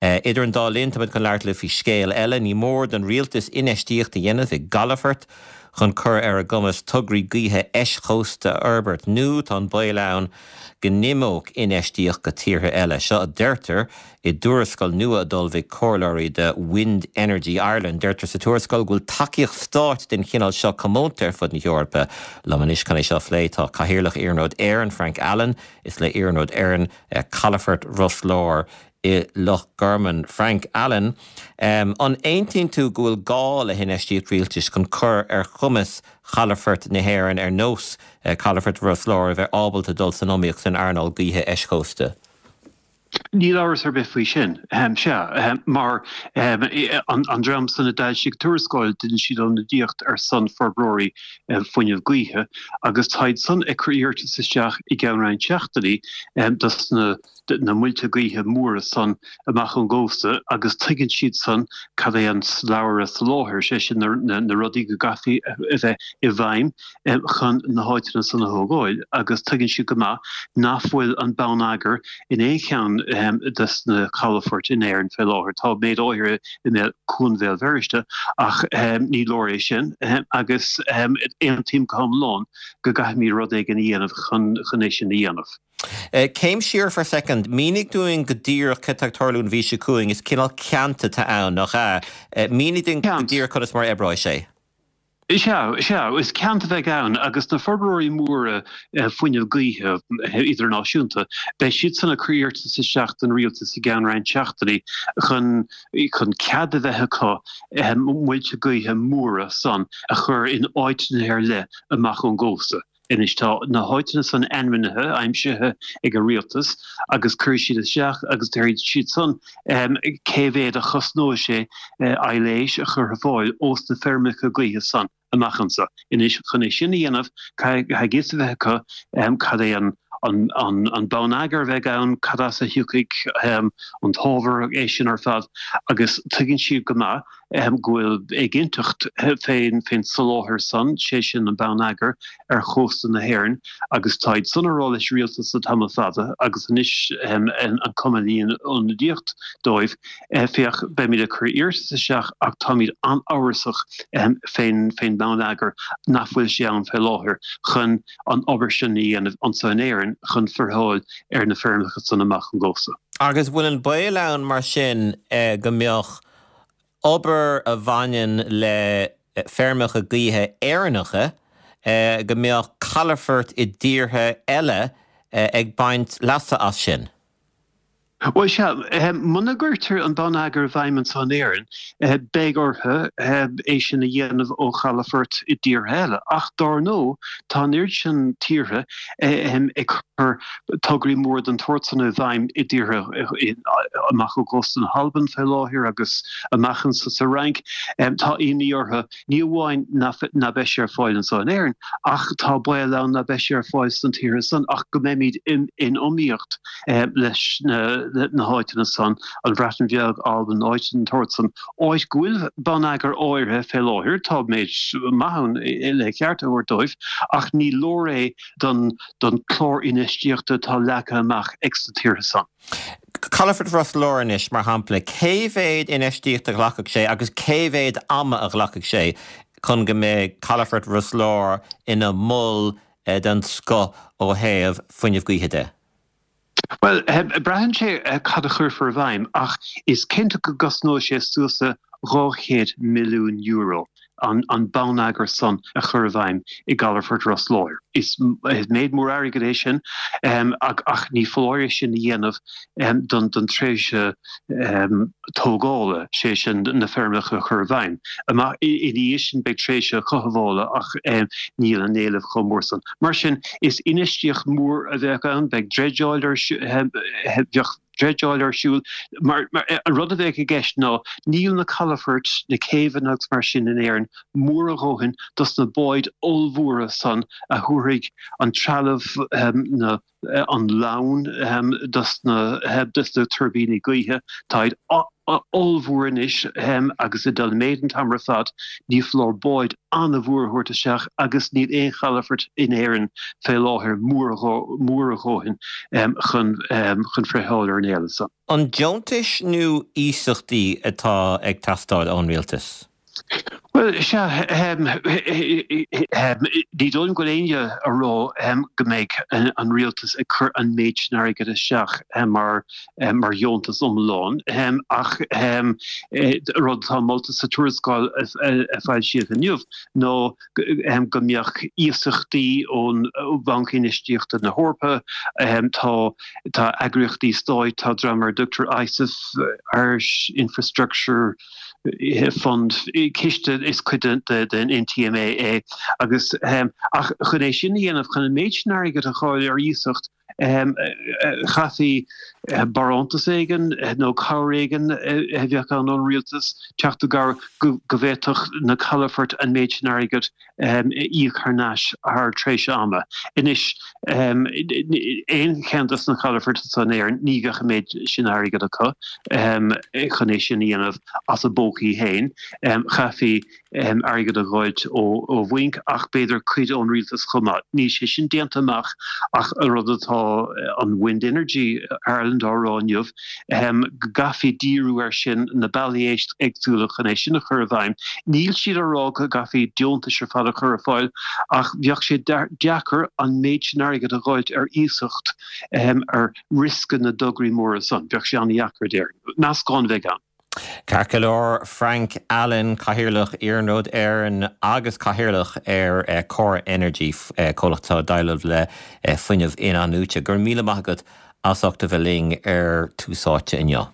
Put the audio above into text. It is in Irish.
Idir an dá linn, táimid chun labhairt libh faoi scéal eile. Ní mór don rialtas infheistíocht a dhéanamh i gcalafoirt chun cur ar a gcumas tograí gaoithe eischósta a fhorbairt, nó tá an baol ann go n-imeodh infheistíocht go tíortha eile. Seo a deirtear i dtuarascáil nua a d'ullmhaigh comhairleoirí do Wind Energy Ireland. Deirtear sa tuarascáil go bhfuil tacaíocht stáit den chineál seo comónta ar fud na hEorpa. Liom anois chun é seo a phlé tá Cathaoirleach Iarnród Éireann, Frank Allen. Is le Iarnród Éireann calafort Ros Láir i Loch Garman. Frank Allen, An aontaíonn tú go bhfuil gá le hinfheistíocht rialtais chun cur ar chumas chalafoirt na hÉireann ar nós calafort Ros Láir a bheith ábalta dul san iomaíocht san earnáil gaoithe eischósta? Níl amhras ar bith faoi sin. Sea, mar an dream san a d'fhoilsigh tuarascáil, dhein siad ionadaíocht ar son forbróirí fuinneamh gaoithe agus táid san ag cur iarratas isteach i gceann roinnt seachtainí dos na na muilte gaoithe móra san amach ón gcósta agus tuigeann siad san cad é an slabhra soláthair, sé sin na rudaí go gcaithfí a bheith i bhfeidhm chun na háiteanna san a thógáil agus tuigeann siad go maith nach bhfuil an bonneagar in aon cheann des na calafoirt in Éirinn fé láthair. Tá méid áirithe i mbéal Cuan Bhéal Feirste ach ní leor é sin agus aontaím go hiomlán go gcaithfimid rud éigin a dhéanamh chun é sin a dhéanamh. Céim siar for a second. Mínigh dúinn go díreach cad tá ag tarlú an mhí seo chugainn. Is cineál ceant atá ann, nach ea? Mínigh dúinn go díreach conas mar a oibreoidh sé. Sea, sea. Is ceant a bheidh ann agus na forbróirí móra fuinneamh gaoithe idirnáisiúnta, beidh siadsan ag cur iarratas isteach don rialtas i gceann roinnt seachtainí chun chun cead a bheith acu muilte gaoithe móra san a chur in áiteanna ar leith amach ón gcósta. Anois tá na háiteanna san ainmnithe, aimsithe ag an rialtas agus cuirfidh siad isteach agus déarfaidh siad san cé mhéad a chosnóidh sé aibhléis a chur ar fáil ós na feirmeacha gaoithe san amach anso. Anois chun é sin a dhéanamh caithfidh a fhios a bheith acu cad é an an bonneagar a bheidh ann, cad as a thiocfaidh an t-ábhar, é sin ar fad agus tuigeann siad go maith go bhfuil éiginnteacht fén soláthar san, sé sin an bonneagar, ar chósta na hÉireann agus táid san a rá leis rialtas le tamall fada agus anois an cumann a dhéanann ionadaíocht dóibh, féach, beimid ag cur iarratas isteach ach táimid an-amhrasach fén mbonneagar nach bhfuil sé ann fé láthair chun an obair sin a dhéanamh anso in Éirinn chun friotháil ar na feirmeacha san amach ón gcósta. Agus bhfuil an baol ann mar sin go mbeadh obair a bhaineann le feirmeacha gaoithe Éireannacha, go mbeadh calafoirt i dtíortha eile ag baint leasa as sin. Bhuel, sea, muna gcuirtear an bonneagar i bhfeidhm anso in Éirinn, beidh orthu é sin a dhéanamh ó chalafoirt i dtíortha eile. Ach dár ndóigh, tá an oiread sin tíortha ag cur tograí móra den tsórt san i bhfeidhm i dtíortha amach ó chósta na hAlban fé láthair agus amach anso sa Fhrainc. Tá imní orthu, ní amháin ná beidh sé ar fáil anso in Éirinn, ach tá baol ann ná beidh sé ar fáil sna tíortha san ach go mbeimid in iomaíocht leis na háiteanna san, an Bhreatain Bheag, Albain, áit den tsórt san, áit go bhfuil bonneagar áirithe fé láthair, tá méid maith ann le ceart a thabhairt dóibh, ach ní leor é don don chlár infheistíochta atá leagtha amach ag sna tíortha san. Calafort Ros Láir anois, mar shampla, cé mhéad infheistíocht a ghlacfadh sé agus cé mhéad ama a ghlacfadh sé chun go mbeidh Calafort Ros Láir ina mhol den scoth ó thaobh fuinneamh gaoithe de? Bhuel, braitheann sé cad a chuirfear i bhfeidhm ach is cinnte go gcosnóidh sé suas le €200 milliún an bonneagar san a chur i bhfeidhm i gcalafort Ros Láir. Is méid mór airgid é sin ach ní foláir é sin a dhéanamh don tréimhse tógála, sé sin na feirmeacha a chur i bhfeidhm. Amach ina dhiaidh sin beidh tréimhse cothabhála ach níl an éileamh chomh mór san. Mar sin is infheistíocht mhór a bheadh ann, beidh dreideáil ar bheadh dreideáil ar siúl mar an rud a bheadh i gceist ná níl na calafoirt, na céibheanna agus mar sin in Éirinn mór a dhóthain dos na báid ollmhóra san a thabharfaidh an trealamh, na. an lann dos na tuirbíní gaoithe. Táid ollmhór anois agus ag dul i méid an t-am ar fad. Ní foláir báid an-mhór a thabhairt isteach agus níl aon chalafort in Éirinn fé láthair mór a dhóthain chun friotháil ar an éileamh san. An deontais nó iasachtaí atá ag teastáil ón rialtas? Bhuel, sea, ní dóigh liom go bhfuil éinne a rá go mbeidh an rialtas ag cur an méid sin airgid isteach mar mar dheontas iomlán, ach rud atá molta sa tuarascáil a foilsíodh inniu ná go mbeadh iasachtaí ón Bhanc Infheistíochta na hEorpa, tá tá eagraíochtaí stáit, tá dream ar a dtugtar ISIF, Irish Infrastructure, Fund, ciste is cuid den NTMA é agus ach chun é sin a dhéanamh, chun an méid sin airgid a fháil ar iasacht, chaithfí barántas éigin nó cabhair éigin a bheadh ann ón rialtas teacht i gcabhair go bhféadfadh na calafoirt an méid sin airgid a íoc thar n-ais thar tréimhse ama. Anois, aon cheann dos na calafoirt atá in Éirinn, ní bheadh an méid sin airgid acu chun é sin a dhéanamh as a bpócaí féin. Chaithfí airgead a dh'fháilt ó bhainc ach b'fhéidir cuid ón rialtas chomh maith. Níl sé sin déanta amach ach an rud atá an Wind Energy Ireland á rá inniu, go gcaithfí díriú air sin, na bealaí éagsúla chun é sin a chur i bhfeidhm. Níl siad á rá go gcaithfí deontais ar fad a chur ar fáil ach bheadh sé deacair an méid sin airgid a dh'fháilt ar iasacht ar riosca na dtograí móra san. Bheadh sé an-dheacair, déarfainn. Meascán a bheidh ann. Ceart go leor, Frank Allen, Cathaoirleach Iarnród Éireann agus Cathaoirleach ar Corr Energy, comhlacht atá ag déileáil le fuinneamh in-athnuaite. Go raibh míle maith agat as ucht a bheith linn ar Tús Áite inniu.